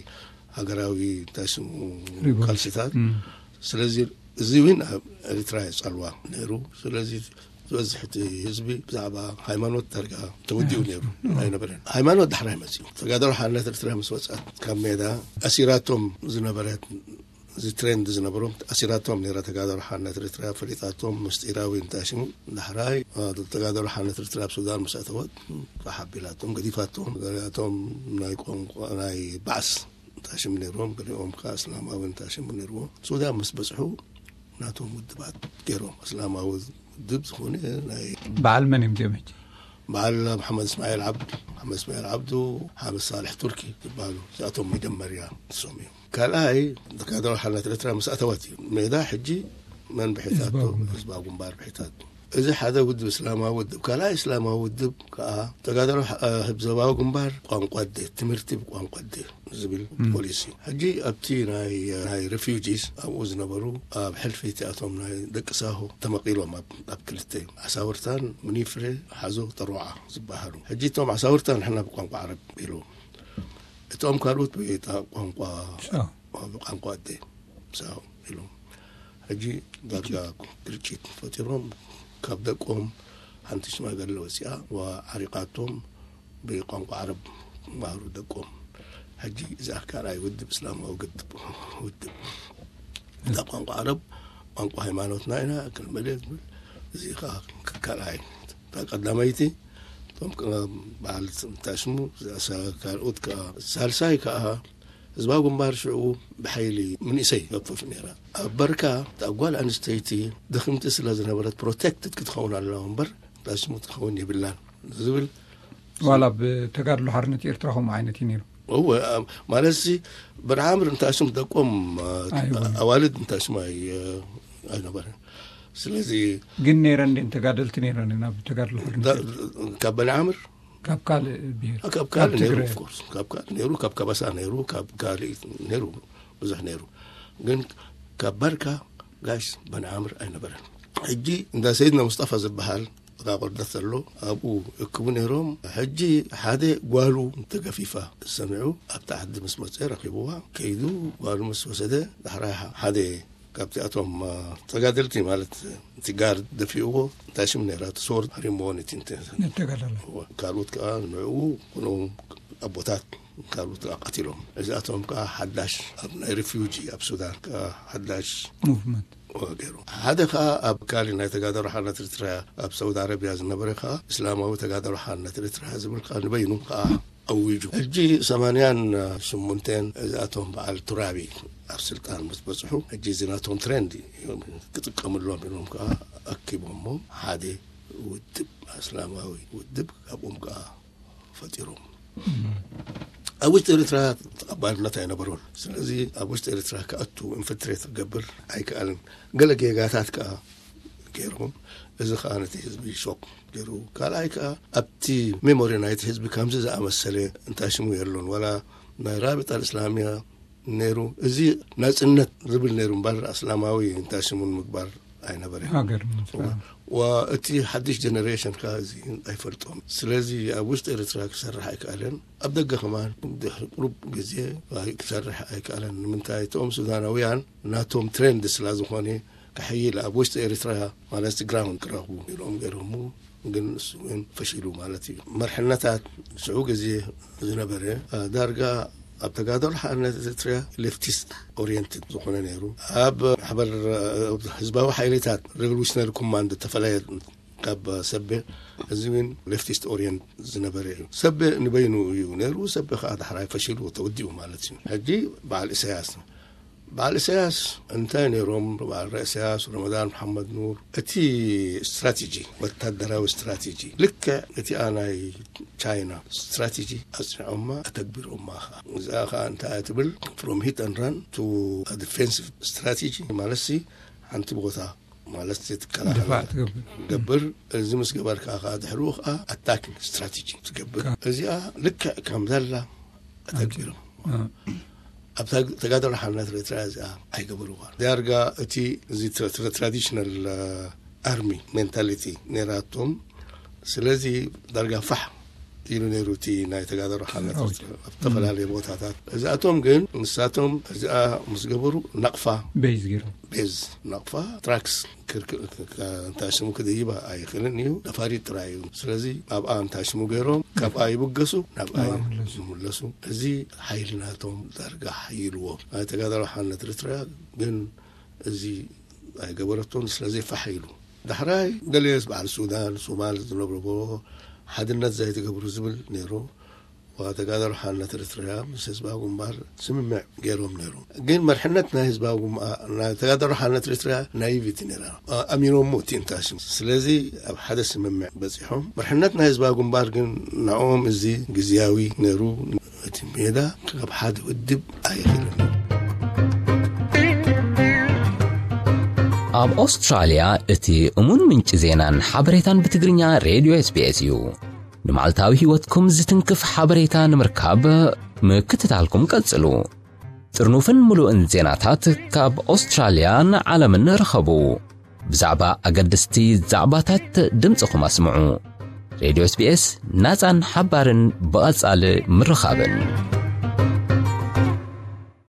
ሃገራዊ እንታይ ስሙ ሪቮሉሽን። ቃልሲታት። እም። ስለዚ እዚ እውን ኣብ ኤርትራ የጸልዋ ነይሩ። ስለዚ ዝበዝሕ እቲ ህዝቢ ብዛዕባ ሃይማኖት ዳርጋ ተወዲኡ ነይሩ ኣይነበረን። ሃይማኖት ዳሕራይ መጺኡ። ተጋዳሎ ሓርነት ኤርትራ ምስ ወጻት ካብ ሜዳ ኣሲራቶም ዝነበረት እዚ ትሬንድ ዝነበሮም ኣሲራቶም ነይራ ተጋዳሎ ሓርነት ኤርትራ ፈሊጣቶም ምስጢራዊ እንታይ ሽሙ ዳሕራይ እ፣ ተጋዳሎ ሓርነት ኤርትራ ኣብ ሱዳን ምስ ኣተወት ተሓቢላቶም ገዲፋቶም ገሊኣቶም ናይ ቋንቋ ናይ ባዕስ እንታይ ሽሙ ነይርዎም ገሊኦም ከዓ እስላማዊ እንታይ ሽሙ ነይርዎም ሱዳን ምስ በጽሑ ናቶም ውድባት ገይሮም እስላማዊ ውድብ ዝኾነ ናይ በዓል መን እዮም እዚኦም ሕጂ? በዓል መሓመድ እስማኤል ዓብዱ መሓመድ እስማኤል ዓብዱ ሓመድ ሳልሕ ቱርኪ ዝበሃሉ እዚኣቶም መጀመርያ ንሶም እዮም። ካልኣይ ተጋዳሎ ሓርነት ኤርትራ ምስ ኣተወት እዩ ሜዳ ሕጂ መን ብሒታቶ ህዝባዊ ግንባር። ህዝባዊ ግንባር ብሒታቶ እዚ ሓደ ውድብ እስላማዊ ውድብ ካልኣይ እስላማዊ ውድብ ከዓ ተጋዳሎ እ፣ ህዝባዊ ግንባር ቋንቋ ኣደ ትምህርቲ ብቋንቋ ኣደ ዝብል ፖሊሲ እዩ። ሕጂ ኣብቲ ናይ ናይ ሬፊውጂስ ኣብኡ ዝነበሩ ኣብ ሕልፊ እቲኣቶም ናይ ደቂ ሳሆ ተመቒሎም ኣብ ኣብ ክልተ ዓሳውርታን ምኒፍሬ ሓዞ ጠሮዓ ዝበሃሉ ሕጂ እቶም ዓሳውርታ ንሕና ብቋንቋ ዓረብ ኢሉ እቶም ካልኦት ብጣ ቋንቋ ሻ። ብቋንቋ ኣደ ሳው ኢሎም ሕጂ ዳርጋ ግርጭት ፈጢሮም ካብ ደቆም ሓንቲ ሽማግለ ወፂኣ ዓሪቃቶም ብቋንቋ ዓረብ ማህሩ ደቆም ሕጂ እዛ ካልኣይ ውድብ እስላማዊ ግድብ ውድብ እዛ ቋንቋ ዓረብ ቋንቋ ሃይማኖትና ኢና ክንመለ ዝብል እዚ ከዓ ካልኣይ እታ ቀዳመይቲ እቶም በዓል እንታይ ሽሙ ካልኦት ከዓ ሳልሳይ ከዓ ህዝባዊ ግንባር ሽዑ ብሓይሊ ምንእሰይ ገፈፍ ነይራ ኣብ በርካ እታ ጓል ኣንስተይቲ ድኽምቲ ስለ ዝነበረት ፕሮቴክትድ ክትኸውን ኣለዋ እምበር እንታይ ሽሙ ክትኸውን የብላን ዝብል ዋላ ብተጋድሎ ሓርነት ኤርትራ ከምኡ ዓይነት እዩ ነይሩ። እወ ማለት ሲ በንዓምር እንታይ ሽሙ ደቆም ኣዋልድ እንታይ ሽሙ ኣይነበረን። ስለዚ ግን ነይረን ድን ተጋደልቲ ነይረን ናብ ተጋድሎ ሓርነት ኤርትራ? ካብ በንዓምር ካብ ካልእ ብሄር ካብ ካልእ ነይሩ ኦፍኮርስ ካብ ካልእ ነይሩ ካብ ከበሳ ነይሩ ካብ ካልእ ነይሩ ብዙሕ ነይሩ ግን ካብ በርካ ጋሽ በንዓምር ኣይነበረን። ሕጂ እንዳ ሰይድና ሙስጠፋ ዝበሃል ጥቃ ቆርደት ዘሎ ኣብኡ እክቡ ነይሮም። ሕጂ ሓደ ጓሉ ተገፊፋ ሰሚዑ ኣብቲ ዓዲ ምስ መፀ ረኪብዋ ከይዱ ጓሉ ምስ ወሰደ ዳሕራይ ሓደ ካብቲኣቶም ተጋደልቲ ማለት እቲ ጋር ደፊእዎ እንታይ ሽም ነይራ እቲ ሶር ሃሪምዎ ነቲ እንተ ነተጋዳላይ ካልኦት ከዓ ንዕኡ ኩሎም ኣቦታት ካልኦት ከዓ ቀቲሎም እዚኣቶም ከዓ ሓዳሽ ኣብ ናይ ሪፊውጂ ኣብ ሱዳን ከዓ ሓዳሽ ሙቭመንት ገይሩ ሓደ ከዓ ኣብ ካሊ ናይ ተጋዳሮ ሓርነት ኤርትራ ኣብ ሳውዲ ኣረቢያ ዝነበረ ከዓ እስላማዊ ተጋዳሮ ሓርነት ኤርትራ ዝብል ከዓ ንበይኑ ከዓ ኣዊጁ ሕጂ ሰማንያን ሽሙንተን እዚኣቶም በዓል ቱራቢ ኣብ ስልጣን ምስ በፅሑ ሕጂ እዚ ናቶም ትሬንድ እዮም ክጥቀምሎም ኢሎም ከዓ ኣኪቦሞ ሓደ ውድብ እስላማዊ ውድብ ካብኦም ከዓ ፈጢሮም ኣብ ውሽጢ ኤርትራ ባርነት ኣይነበሮን። ስለዚ ኣብ ውሽጢ ኤርትራ ክኣቱ ኢንፍልትሬት ክገብር ኣይከኣልን። ገለ ጌጋታት ከኣ ገይሮም፣ እዚ ከኣ ነቲ ህዝቢ ሾክ ገይሩ። ካልኣይ ከኣ ኣብቲ ሜሞሪ ናይቲ ህዝቢ ከምዚ ዝኣመሰለ እንታይ ሽሙ የሎን፣ ዋላ ናይ ራቢጣ እስላሚያ ነይሩ። እዚ ናጽነት ዝብል ነይሩ እምበር፣ ኣስላማዊ እንታይ ሽሙን ምግባር ኣይነበረ። ሃገር ንምስራዕ። ወእቲ ሓድሽ ጀነሬሽን ከኣ እዚ ኣይፈልጦም። ስለዚ ኣብ ውሽጢ ኤርትራ ክሰርሕ ኣይከኣለን። ኣብ ደገ ከማን ድሕሪ ቁሩብ ግዜ ክሰርሕ ኣይከኣለን። ንምንታይ? እቶም ሱዳናውያን ናቶም ትሬንድ ስላ ዝኾነ ክሕይል ኣብ ውሽጢ ኤርትራ ማለት ግራውንድ ክረኽቡ ኢሎም ገይሮሙ። ግን እሱ እውን ፈሺሉ ማለት እዩ። መርሕነታት ሽዑ ግዜ ዝነበረ ዳርጋ ኣብ ተጋደሎ ሓርነት ኤርትራ ሌፍቲስት ኦሪየንትድ ዝኾነ ነይሩ። ኣብ ማሕበር ህዝባዊ ሓይልታት ሬቮሉሽነሪ ኮማንድ ተፈለየ ካብ ሰቤ፣ እዚ እውን ሌፍቲስት ኦሪየንት ዝነበረ እዩ። ሰቤ ንበይኑ እዩ ነይሩ። ሰቤ ከዓ ዳሕራይ ፈሺሉ ተወዲኡ ማለት እዩ። ሕጂ በዓል ኢሳያስ በዓል ኢሳያስ እንታይ ነይሮም? በዓል ኢሳያስ፣ ረመዳን መሓመድ ኑር፣ እቲ ስትራቴጂ፣ ወታደራዊ ስትራቴጂ ልክዕ እቲኣ ናይ ቻይና ስትራቴጂ ኣጽኒዖማ፣ ኣተግቢሮማ። እዚኣ ከዓ እንታይ እያ ትብል? From hit and run to defensive strategy ማለት ሲ ሓንቲ ቦታ ማለት ትከላኸል ድፋዕ ትገብር። ገብር። እዚ ምስ ገበርካ ከዓ ድሕሪኡ ከዓ ኣታኪንግ ስትራቴጂ ትገብር። እዚኣ ልክዕ ከም ዘላ ኣተግቢሮም። ኣብ ተጋደሎ ሓርነት ኤርትራ እዚኣ ኣይገበርዋን። ዳርጋ እቲ እዚ ትራዲሽናል ኣርሚ ሜንታሊቲ ነይራቶም። ስለዚ ዳርጋ ፋሕ ኢሉ ነይሩ እቲ ናይ ተጋደሎ ሓርነት ኤርትራ ኣብ ዝተፈላለዩ ቦታታት። እዚኣቶም ግን ንሳቶም እዚኣ ምስ ገበሩ ናቕፋ ቤዝ ገይሩ ቤዝ ናቕፋ ትራክስ እንታይ ሽሙ ክድይባ ኣይኽእልን እዩ። ነፋሪት ጥራይ እዩ። ስለዚ ኣብኣ እንታይ ሽሙ ገይሮም ካብኣ ይብገሱ፣ ናብኣ ይምለሱ። እዚ ሓይሊ ናቶም ዳርጋ ሓይልዎ። ናይ ተጋዳሎ ሓርነት ኤርትራ ግን እዚ ኣይገበረቶን። ስለዚ ፋሕ ኢሉ ዳሕራይ ገለስ በዓል ሱዳን ሶማል ዝነብርዎ ሓድነት ዘይትገብሩ ዝብል ነይሩ። ተጋዳሎ ሓርነት ኤርትራ ምስ ህዝባዊ ግንባር ስምምዕ ገይሮም ነይሩ። ግን መርሕነት ናይ ህዝባዊ ግንባር ናይ ተጋዳሎ ሓርነት ኤርትራ ናይቪቲ ነይራ። ኣሚኖሞ እቲ እንታይ ሽም ስለዚ ኣብ ሓደ ስምምዕ በፂሖም። መርሕነት ናይ ህዝባዊ ግንባር ግን ንዕኦም እዚ ግዝያዊ ነይሩ። እቲ ሜዳ ካብ ሓደ ውድብ ኣይኽእልን። ኣብ ኣውስትራልያ እቲ እሙን ምንጪ ዜናን ሓበሬታን ብትግርኛ ሬድዮ ኤስቢኤስ እዩ። ንመዓልታዊ ህይወትኩም ዝትንክፍ ሓበሬታ ንምርካብ ምክትታልኩም ቀጽሉ። ጥርኑፍን ምሉእን ዜናታት ካብ ኣውስትራልያን ዓለምን ርኸቡ። ብዛዕባ ኣገደስቲ ዛዕባታት ድምፅኹም ኣስምዑ። ሬድዮ ኤስቢኤስ ናፃን ሓባርን ብቐጻሊ ምርኻብን።